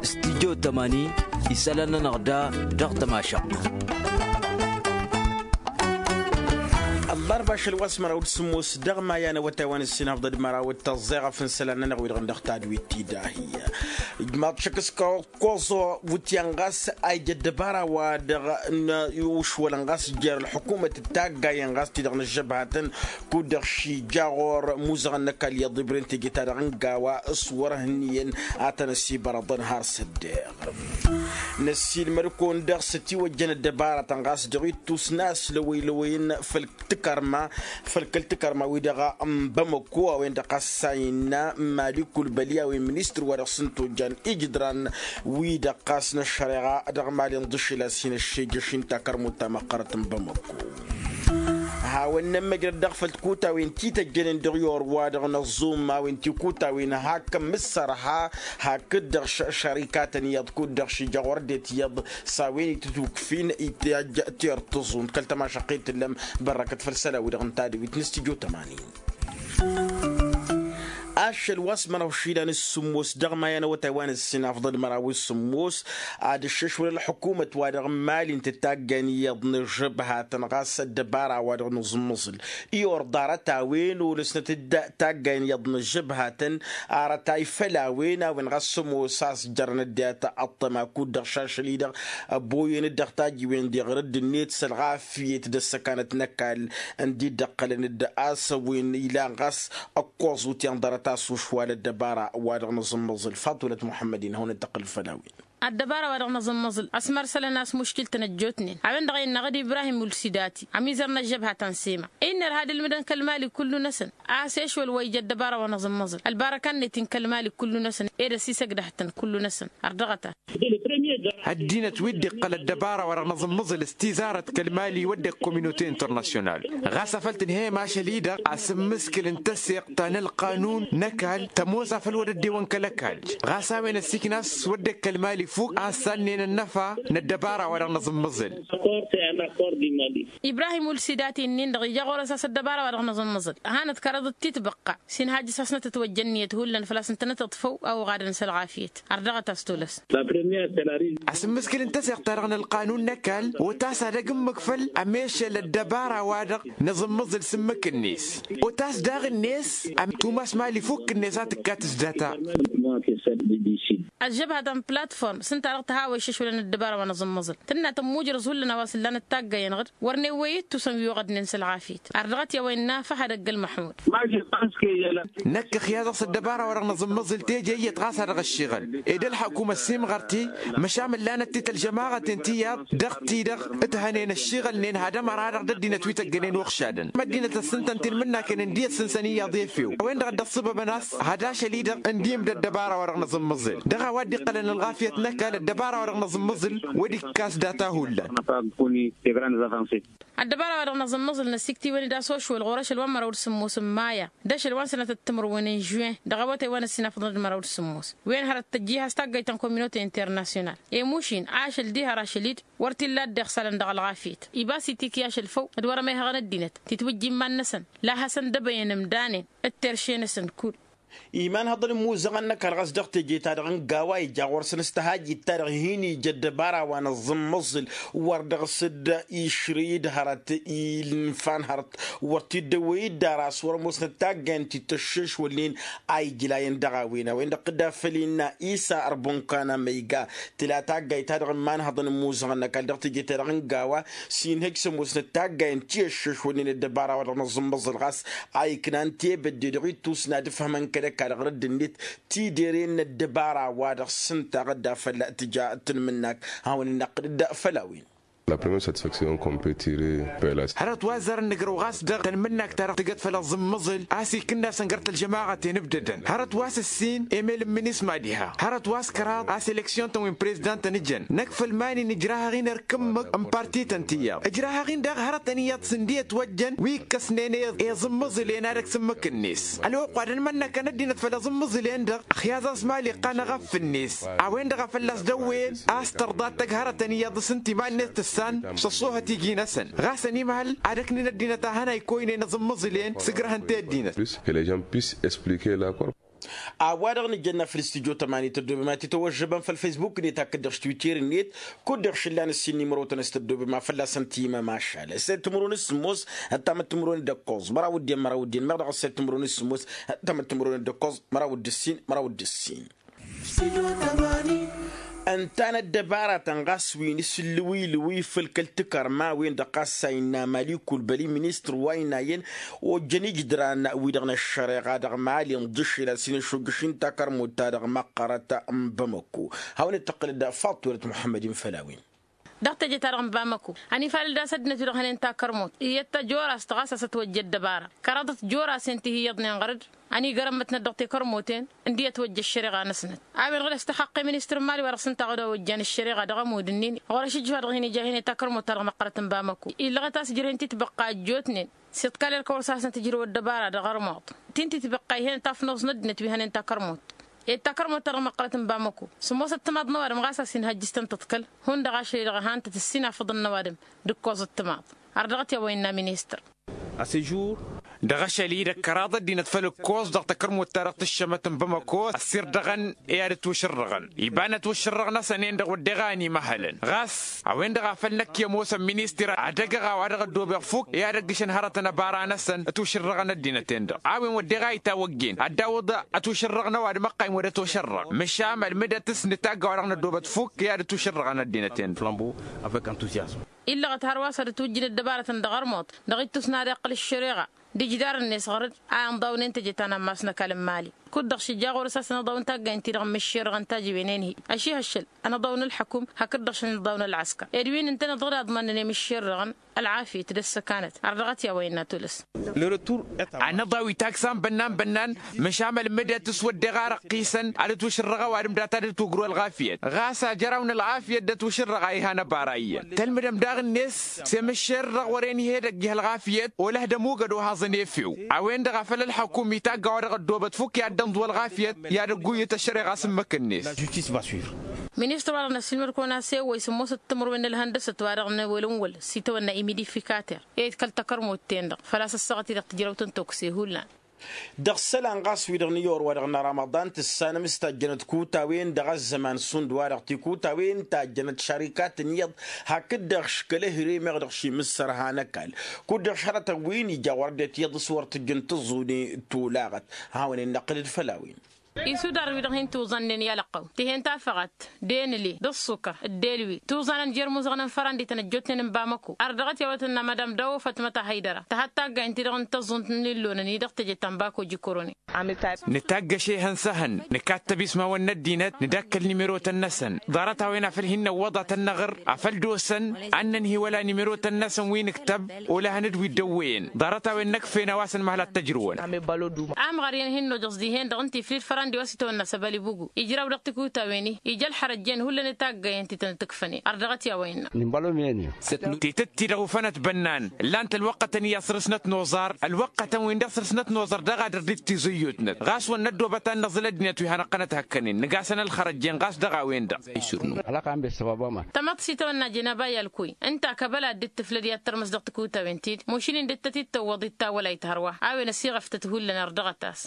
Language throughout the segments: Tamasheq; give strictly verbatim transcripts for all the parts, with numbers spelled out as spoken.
Stidyo tămani isălan-nănăɣ da dăɣ-tămašăɣt. Ăllarba ašăl wa s-măraw d-sǝmmos dăɣ-maya n-awătay wa n-ǝssinafḍăd măraw d-tăẓẓeɣăf n-isălan-nănăɣ wi-dăɣ n-dăɣ tadwit ti-dahi. Ijmaḍ šăkk s-kăwăkkoẓo wǝtyan ɣas a ija ăddăbara wa dăɣ-nǝwǝšwălăn ɣas jer-ălḥukumăt d-taggayen ɣas ti-dăɣ n-ăžžăbhatăn kud-dăɣ šija ɣur-muzăɣăn n-ăkall iyyăḍ ibrǝn teje-ta-dăɣ n-gawa s-wăr-hǝnniyăn ad-tăn-ăsibărăḍăn har s-ăddeɣ. Năssiilmăd-kăwăn-dăɣ s-ătiwăjjăn ăddăbaratăn ɣas dăɣ-ittus n-aslăwăylăwăyăn făll-tǝkărma făll-kăl-tǝkărma-wi-dăɣ n-bamăko a-wen-dăɣ ɣas a innă mali kulbăli a-wen ministăr wa dăɣ-s n-tojjan ijǝdran-wi-dăɣ ɣas n-ăššăreɣa dăɣ-mali n-ḍǝššǝl a-s hin-ăššejăš n-takărmut ta măqqărăt n-bamăko. Hawăn-nămmăjrăd dăɣ-făll-tikutawen ti tăjjănen dăɣ-i orwa-dăɣ n-ăẓẓum a-wen tikutawen hakk ămmǝssărha hakd-dăɣ šărikatăn iyyăḍ kud-dăɣ šija ɣur-ăddinăt iyyăḍ s-a-wen itǝtukfin itajj tirtǝẓunt kăl-tămašăqqet tǝllăm. Bărrăkăt făll-isălan-wi-dăɣ n-tadǝwit n-studyo tămanin. Ašăl wa s-măraw išilan s-sǝmmos dăɣ-maya n-awătay wa n-ǝssin afḍăl măraw s-sǝmmos ad-ǝššǝšwăl ălḥukumăt wa dăɣ-mali n-tǝtaggayn iyyăḍ n-ažăbhatăn ɣas ăddăbara wa dăɣ-nǝẓǝmmăẓǝl i-orḍarăt a-wen olăsnăt-dd taggayn iyyăḍ n-ažăbhatăn arătay făll-a-wen a-wen ɣas sămoos a-s jărăn ăddinăt ăṭṭăma kud-dăɣ šašăl-i-dăɣ ăboyăn-dd dăɣ-tajiwen d-iɣrǝd-net s-ălɣafyet d-ăssăkanăt n-ăkall ǝndi dd-ăqqălăn-dd a-s ăwwin ilan ɣas ăkkoẓ wǝtyan ḍarăt a-s ušwal ăddăbara wa dăɣ-nǝẓǝmmăẓǝl faḍulăt muḥămmăd-in hawăn-dd-tăqqǝl făll-a-wen. Ăddăbara wa dăɣ-năẓǝmmăẓǝl ăsmărsălăn a-s muškil-tăn ăjjootnen a-wen-dăɣ a innă aɣǝd ibrahim ulsidati ămizăr n-ăžžăbha ta n-sema innă ărha d-ǝlmǝdăn kăl-mali kullu-năsăn a-s ešwăl wa ija ăddăbara wa năẓǝmmăẓǝl ălbarăka-net-in kăl-mali kullu-năsăn ed ăsisăgdăh-tăn kullu-năsăn. Ărdăɣăt-as. Ăddinăt wi dd-iqqăl ăddăbara wa dăɣ-năẓǝmmăẓǝl s-tizarăt kăl-mali wădden kominote internasyonal ɣas afăl tǝnhăyăm ašăl-i-dăɣ asǝmmǝskǝl n-tăseɣt ta n-ălqanun n-ăkall tămoos afăl wăr dd-ewăn kăl-ăkall ɣas a-wen ăssiikna a-s wădden kăl-mali fukk a ănsannen ănnăfa n-ăddăbara wa dăɣ-năẓǝmmăẓǝl. Ibrahim ulsidati-nin-dăɣ ija ɣur-s a-s ăddăbara wa dăɣ-năẓǝmmăẓǝl hanăt-kăraḍăt titbăqqa s-inhajjăs a-s nătătwăjja ǝnniyăt hullan făl-a-s ǝntănăt iḍfăw a oɣadăn s-ălɣafyăt. Ărdăɣăt-as tolăs. Asǝmmǝskǝl n-tăseɣt-ta-dăɣ n-ălqanun n-ăkall otas ad-ăgg ǝmmǝk făll-ămešăl ăddăbara-wa-dăɣ năẓǝmmǝẓǝl s-ǝmmǝk-net otas daɣ-net ămtumas mali fukk-net a tǝkkat s-data. Ăžžăbhătăn platform s-ǝnta-dăɣ tǝhawăy iššăšwălăn ăddăbara wa năẓǝmmǝẓǝl tǝnna tămmujrăẓ hullan a-wa s-ǝllanăt taggayen ɣǝd wăr newwăy ittusăn wi oɣădnen s-ălɣafyăt. Ărdăɣăt i-a-wa innă făhăd ăgg-ălmăḥmud. Năkk ăxyaẓ-ăɣ s-ăddăbara-wa-dăɣ năẓǝmmǝẓǝl teje iyyăt ɣas a dăɣ-ăššiɣǝl ed ălḥăkum ăssiimɣăr-t-i măšan ǝllanăt-t-ălžămaɣăten ti iyyăḍ dăɣ-ti-dăɣ ǝthănen ăššiɣǝlnen had-ămăra-dăɣ d-ăddinăt wi tăggănen uɣšadăn ăddinăt ăssintăn tilmǝnnaken ǝndi ăssǝnsăn iyyăḍ efew a-wen-dăɣ a dd-ăṣṣăbăbăn a-s had ašăl-i-dăɣ ǝndim d-ăddăbara-wa-dăɣ năẓǝmmǝẓǝl dăɣ-a-wa dd-iqqălăn ălɣafyăt n-ăkall ăddăbara-wa-dăɣ năẓǝmmǝẓǝl wăr dd-ikkas data hullan. Ăddăbara-wa-dăɣ năẓǝmmǝẓǝl năsiktiwăn-dd a-s ošwăl ɣur-ašăl wa n-măraw d-sǝmmos n-maya d-ašăl wa n-sănatăt timǝrwen n-žuwen dăɣ-awătay wa n-ăssinafăḍăn d-măraw d-sǝmmos wen hărăt tăjjih a-s taggayt ta n-kominote internasyonal. Emuš-in ašăl diha rašăl-dd wăr t-illa a dd-iɣsalăn dăɣ-ălɣafyăt ibas itik i-ašăl făw d-wăr-ămehăɣăn ăddinăt titwǝjja iman-năsăn la hasăn-dd ăbăyăn ǝmdanen d-terše-năsăn kull. Iman hăḍăn imuzăɣăn n-ăkall ɣas dăɣ-teje-ta-dăɣ n-gawa ija ɣur-săn s-tăhajit-ta-dăɣ hin-ija ăddăbara wa nǝẓǝmmǝẓǝl wăr dăɣ-s dd-išrǝy d-hărăt ilǝnfan hărăt wăr t-dd-ăwwăy-dd ara a-s wăr-ămoosnăt taggayen ti tăššešwălnen a ijlayăn dăɣ-a-wen a-wen-dăɣ tǝdda făll-innă isa ărbănkana ma iga tǝla taggayt-ta-dăɣ n-imanhăḍăn n-imuzăɣăn n-ăkall dăɣ-teje-ta-dăɣ n-gawa s-inhăj s-ămoosnăt taggayen ti ăššešwălnen ăddăbara wa dăɣ-nǝẓǝmmǝẓǝl ɣas a iknan tebădde dăɣ-ittus n-ad-ǝfhămăn kăl-ăkall ɣur-dd-net tidere n-ăddăbara wa dăɣ-s ǝnta ɣǝdda fălla tǝja tǝnmǝnnak hawăn-in-năqqǝd-dd făll-a-wen. La première satisfaction qu'on peut tirer pe la. Hărăt wa zărăn nǝgrăw ɣas dăɣ-tănmǝnnak ta dăɣ-tǝgăt făll-aẓǝmmăẓǝl a-s ikǝnna săngăr tălžămaɣăten ǝbdădăn hărăt wa s-ǝssin emel n-imǝnis ma diha hărăt wa s-kăraḍ a-s eleksyon-tăn wi n-prezidant-tăn ǝjăn năkk făll-iman-in ǝjrahăɣ-in ărk ǝmmǝk n-parti-tăn tiyyăḍ ǝjrahăɣ-in daɣ hărătăn iyyăḍ s-ǝndi ătwăjjăn wi ǝkkăsnen i-eẓǝmmǝẓǝl-en ad-ăksǝmmǝk-net ălwăqq wa d-ănmănnăkăn ăddinăt făll-eẓǝmmǝẓǝl-en-dăɣ ăxyaẓ a-s mali iqqan aɣăf-net a-wen-dăɣ a fălla-s dăwwăyăn a-s tărḍa ad-tăgg hărătăn iyyăḍ s-ǝnta iman-net tǝssan s-ăṣṣoohăt iji-năsăn ɣas ănimhăl ad-ăknin ăddinăt a hănaykoynen eẓǝmmǝẓǝl-en s-ǝgrăhăn-t i-ăddinăt. Plus que les gens puissent expliquer la corp. A-wa-dăɣ nǝjănna făll-studyo tămani tăddobem ad-t-tăwăžžăbăm făll-faysbuk-net hakd-dăɣ s-twitter-net. Kud-dăɣ šǝllan ǝssin n-imrăwtăn a-s tăddobem a fălla-săn timămašal s-e-d timǝrwen s-sǝmmos ǝnta măttimǝrwen d-ǝkkoẓ măraw d-en măraw d-en meɣ dăɣ-s e-d timǝrwen s-sǝmmos ǝnta măttimǝrwen d-ǝkkoẓ măraw d-ǝssin măraw d-ǝssin. Ǝnta n-ăddăbaratăn ɣas wi n-isǝllǝw ilǝw ifǝl kăl-tikărma-wen-dăɣ ɣas a innă mali kulbăli ministăr wa ăynayăn ojjăn ijǝdran-wi-dăɣ n-ăššăreɣa dăɣ-mali n-ḍǝššel a-s hin-ăššuggǝš-in takărmut-ta-dăɣ măqqărăt n-bamăkko. Hawăn-dd-tăqqǝlăd fatwălăt muḥămmăd-in făll-a-wen. Dăɣ-teje-ta-dăɣ n-bamăkko ănifalăd a-s ăddinăt wi-dăɣ hănen takărmut iyyăt ta jora-s tăɣas a-s ătwăjja ăddăbara kăraḍăt jora-sen ti hi-iyyăḍnen ɣăr-dd. Ănigărămmătnăt dăɣ-tekărmuten ǝndiyăt wăjja ăššăreɣa-năsnăt a-wen ɣǝd a-s tăxăqqe ministăr n-mali wa dăɣ-s ǝnta a ɣǝd a ojjan ăššăreɣa dăɣ-ămudd-ǝnnin. Ɣur-ašǝjjǝf-wa-dăɣ hin-ija ihăne takărmut-ta-dăɣ măqqărăt n-bamăkko illăɣăt a-s ǝjrăyăn titbăqqa ăjjootnen s-iḍkal ălkăwăr s-hasăn-tǝjrǝw ăddăbara dăɣ-armuḍ. Tin titbăqqa ihănăt afnăẓ n-ăddinăt wi hănen takărmut ed takărmut-ta-dăɣ măqqărăt n-bamăkko. Sǝmmos ăttămaḍ n-ăwadǝm ɣas a-s hin-hăjjǝs-tăn tǝḍkăl hundăɣ ašăl-i-dăɣ ăhantăt ǝssin afăḍăn n-ăwadǝm d-ǝkkoẓ ăttămaḍ. Ardăɣăt i-a-wa innă ministăr. Dăɣ-ašăl-i-dăɣ kăraḍ ăddinăt făll-ǝkkoẓ dăɣ-takărmut-ta-dăɣ tǝššămăt n-bamăkko ăssirdăɣăn i-ad-ătwăšărrăɣăn iba n-ătwăšărrăɣ-năsăn-en-dăɣ wădden a ănimăhălăn ɣas a-wen-dăɣ a făl năkk i-ămoosăn ministăr ad-ăgg-ăɣ a-wa dăɣ-ăddoobăɣ fukk i-ad-ăggǝšăn hărătăn ăbara-năsăn ătwăšărrăɣăn ăddinăt-en-dăɣ. A-wen wădden a itawăggen ad-dawǝḍ ătwăšărrăɣ n-ăwadǝm ăqqayǝm wăr-ătwăšărrăɣ măšan ălmǝdăt s-nǝtagg a-wa dăɣ-năddoobăt fukk i-ad-ătwăšărrăɣăn ăddinăt-en-dăɣ. Illăɣăt hărwa s-ad-ătwǝjjǝn ăddăbarătăn dăɣ-armuḍ dăɣ-ittus n-ad-iqqǝl ăššăreɣa d-ijdar-net ɣur-dd a inḍawnen teje ta n-ammas n-ăkall n-mali. Kud-dăɣ šija ɣur-s a-s ănăḍaw n-taggaynt-ti-dăɣ n-imǝššerrăɣăn tajǝwen-en-hi ašihăššăl ănăḍaw n-ǝlḥăkum hakd-dăɣ šăn ănăḍaw n-ălɣăskăr ed wi n-ǝntăneḍ ɣǝd a ǝḍmănnăn i-imǝššerrăɣăn ălɣafyăt d-ăssăkanăt. Ardăɣăt i-a-wa innă tulǝs. Anăḍaw itaksan bănnan-bănnan măšan ălmǝdăt s-wădden a răqqisăn ad-ătwăšărrăɣ ăwadǝm data d-ătwăgru ălɣafyăt ɣas ajăraw n-ălɣafyăt d-ătwăšărrăɣ a ihăn ăbara iyyăn tălmǝdăm daɣ-net s-emǝššerrăɣ wăren ih'-edăgg ih' ălɣafyăt olăh d-ămugăd ohaẓăn efew. A-wen-dăɣ a făl ălḥăkum itagg a-wa dăɣ-ăddoobăt fukk i-ad-dd-ănḍǝw ălɣafyăt i-ad-ăgguyyǝt ăššăreɣa s-ǝmmǝk-net. Ministăr-wa-dăɣ n-ăssilmăd-kăwăn-as ewwăy sǝmmosăt timǝrwen n-ălhăndăsăt wa dăɣ-năwălǝnwăl s-itawănna imidifikater ed kăl-takărmut-ten-dăɣ făl-a-s ăssaɣăt-i-dăɣ tǝjrăwt n-tokse hullan. Dăɣ-isălan ɣas wi-dăɣ n-iyyăwăr wa dăɣ-năramaḍan tǝssanăm s-tajjănăt kutawen dăɣ-ăzzăman šund wa-dăɣ tikutawen tajjănăt šarikat n-iyyăḍ hakd-dăɣ škălăhre meɣ dăɣ-šimǝssărha n-ăkall. Kud-dăɣ šhărătăn wi n-ija wăr dd-tiyyăḍ s-wăr tǝjjǝn tǝẓẓune tolaɣăt. Hawăn-in-năqqǝl-dd făll-a-wen. Isudar-wi-dăɣ hin-tuẓannen i-alăqqăw tihen tafăɣat d-enǝle d-ăṣṣukăr d-elwi tuẓanăn jer-imuzăɣăn n-fărandităn ăjjootnen n-bamăko. Ardăɣăt i-a-wa tǝnna madam dawo fatmăta haydăra tăhăt taggaynt-ti-dăɣ n-tăẓẓunt n-illonăn-i dăɣ-teje ta n-bako jikoronǝy. Nǝtagg ašehăn s-ehăn nǝkattăb ismawăn n-ăddinăt nǝdakkăl nimerotăn-năsăn. Ḍarăt-a-wen a făl hin-năwwăḍ ad-tăn-năɣr a făl d-osăn ad-nǝnhǝy wăla nimerotăn-năsăn wi nǝktăb. Olăhăn d-wi dd-ăwwăyăn ḍarăt-a-wen n-ăkfen a-wa s-ănmăhăl ad-t-ăjrǝwăn. Amɣăr-i ănhǝnnožăẓ dihen-dăɣ ǝnta iflǝd fărandi wa s-itawănna s-ăbăl ibugu ijraw dăɣ-tikutawen-i ija ălxărăjjen hullan itaggăyăn-ti tăn-dd-ǝkfănen. Ardăɣăt i-a-wa innă. Titǝtti-dăɣ ufănăt bănnan ǝllan-t ălwăqqătăn iyyăḍ săr-s nătnoẓar ălwăqqătăn-win-dăɣ săr-s nătnoẓar daɣ ad-ărdit tiẓǝyyutnăt ɣas wăr năddoobăt ad-năẓǝl ăddinăt wi hanăɣ-tăn-ăthăkkănen nǝgasăn ălxărăjjen ɣas dăɣ-a-wen-dăɣ. Tamăḍt s-itawănna jenaba i-alkuy ǝnta a kăbăl ad-dd-tǝflăd i-ad-tărmǝs dăɣ-tikutawen-ti-dd mušǝl-in dd-tăt-dd-tăwwăḍ ittawălayt hărwa. A-wen ăsiɣăftăt hullan ărdăɣăt-as.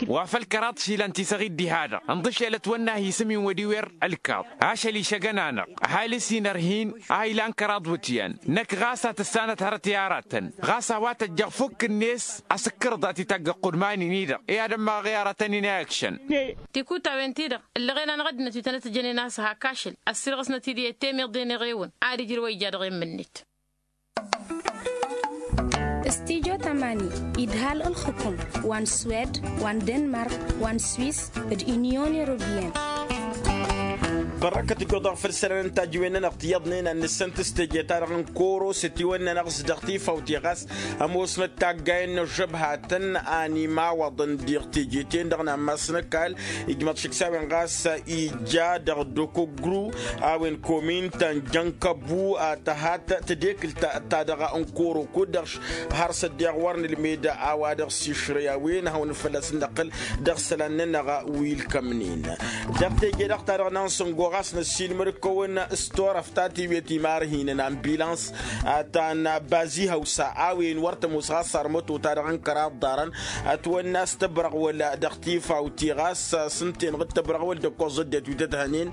Wa făl kăraḍ išilan ti săɣ-dd-iha-dăɣ ǝnḍǝšelăt wănna a hi-isǝm-in wăr-iwer ălkaḍ. Ašăl išăgăn-anăɣ ăhalǝs-in ărhin a ilan kăraḍ wǝtyan. Năkk ɣas a tǝssanăt hărăt i-aratăn ɣas a-wa tăjjăɣ fukk-net. Asǝkkărăḍ a t-itagg ăqqudman-in-i-dăɣ i-ad-ămmaɣăɣ i-aratăn inayăkšăn. Tikutawen-ti-dăɣ ǝllăɣen-anăɣ ăddinăt wi tănăt-ǝjănen a-s hak ašăl ăssirɣăsnăt-dd i-temeḍe n-eɣewăn. Ad-ijrǝw wa ija dăɣ-e n-imǝnnit. Studyo tamani idhal ǝlxǝkum wa n-swed wa n-denmark wa n-swis d-inyon europiyăn. Bărrăkăt ǝjjoḍ-aɣ făll-isălan n-tajǝwen-nănăɣ tiyyăḍnen ad-nǝssǝnt s-teje-ta-dăɣ n-koro s-ătiwănnăn aɣs dăɣ-tifawt i-ɣas ămoosnăt taggayen n-ăžžăbhatăn a n-imawăḍăn diɣ teje-ten-dăɣ n-ammas n-ăkall. Ijmăḍ šǝksawen ɣas ija dăɣ-dokogru a-wen komin ta n-jănkăbu a tăhat tedekǝlt-ta-dăɣ n-koro kud-dăɣ har s-ăddiɣ wăr nǝlmed a-wa dăɣ-s išrăy a-wen hawăn-dd fălla-s n-năqqǝl dăɣ-isălan-nănăɣ wi ǝlkămnen. Dăɣ-teje-dăɣ-ta-dăɣ n-ansăngo. Ɣas năssiilmăd-kăwăn s-turăft ta tiwet imarhinăn ambilans ta n-bazi hăwsa a-wen wăr tămoos ɣas sarmăto-ta-dăɣ n-kăraḍ ḍarăn. Ătwănna s-tăbrăɣwăl dăɣ-tifawt-i ɣas s-ǝnta-enăɣ d-tăbrăɣwăl d-ǝkkoẓ ăddinăt wi tădhănen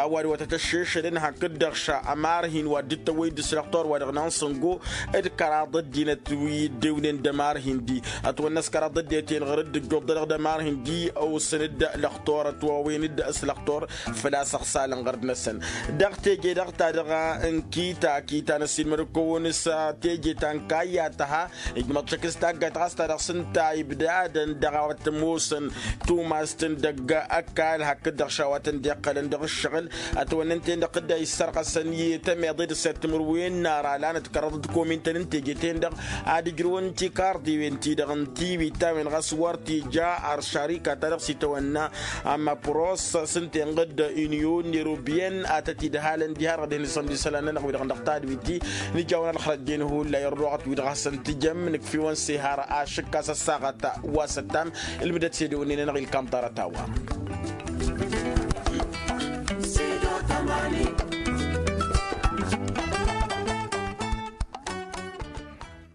a-wa d-wa tăt-ăššešălăn hakd-dăɣ ša ămarhin wa dd-tăwwăy d-s lăxtur wa dăɣ-nansăngo d-kăraḍ ăddinăt wi dd-ewnen d-ămarhin-di. Ătwănna s-kăraḍ ăddinăt-en ɣur-dd-ǝjjuḍălăɣ d-ămarhin-di ăwsăn-dd lăxtur ătwawăyăn-dd s-lăxtur făl-a-s ăɣsalăn ɣur-dd-năsăn. Dăɣ-teje-dăɣ ta dăɣ-n kita kita n-ăssiilmăd-kăwăn s-teje ta n-kayya tăha ijmăḍ šăkk s-taggayt ɣas ta dăɣ-s ǝnta ibdadăn dăɣ-a-wa t-ămoosăn tumast n-dăgg-ăkall hakd-dăɣ ša wa tăn-dd-iqqălăn dăɣ-ǝššăɣǝl. Ătwănnăn-ten-dăɣ tǝdda issărɣăsăn i-temeḍe d-săr timǝrwen n-ara lanăt kăraḍăt komintăn n-teje-ten-dăɣ ad-ǝjrǝwăn tikarḍiwen-ti-dăɣ n-tiwit ta-wen ɣas wăr t-ija ăršarika ta dăɣ-s itawănna. Ămăpros s-ǝnta-enăɣ d-inyon n-erobiyăn ad-tăt-idhalăn diha-dăɣ dăɣ-hin-isămd isălan-nănăɣ wi-dăɣ dăɣ-tadwit-i. Nǝjawăn ălxărăjjen hullan irruɣăt wi-dăɣ hasăn-tǝjăm nǝkf'-iwăn s-ehar ašǝkkas ăssaɣăt wa s-ăttam. Ǝlmǝdăt s-ede-wǝnnin-enăɣ ilkam ḍarăt a-wa.